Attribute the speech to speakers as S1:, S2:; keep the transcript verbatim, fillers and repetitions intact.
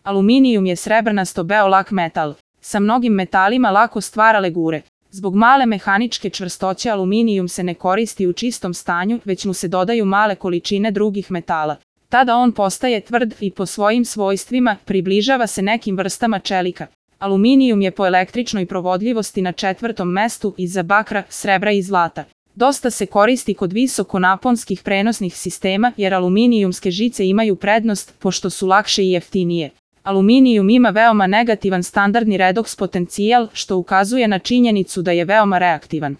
S1: Aluminijum je srebrnasto beolak metal. Sa mnogim metalima lako stvara legure. Zbog male mehaničke čvrstoće aluminijum se ne koristi u čistom stanju, već mu se dodaju male količine drugih metala. Tada on postaje tvrd i po svojim svojstvima približava se nekim vrstama čelika. Aluminijum je po električnoj provodljivosti na četvrtom mestu iza bakra, srebra i zlata. Dosta se koristi kod visokonaponskih prenosnih sistema jer aluminijumske žice imaju prednost pošto su lakše i jeftinije. Aluminijum ima veoma negativan standardni redoks potencijal što ukazuje na činjenicu da je veoma reaktivan.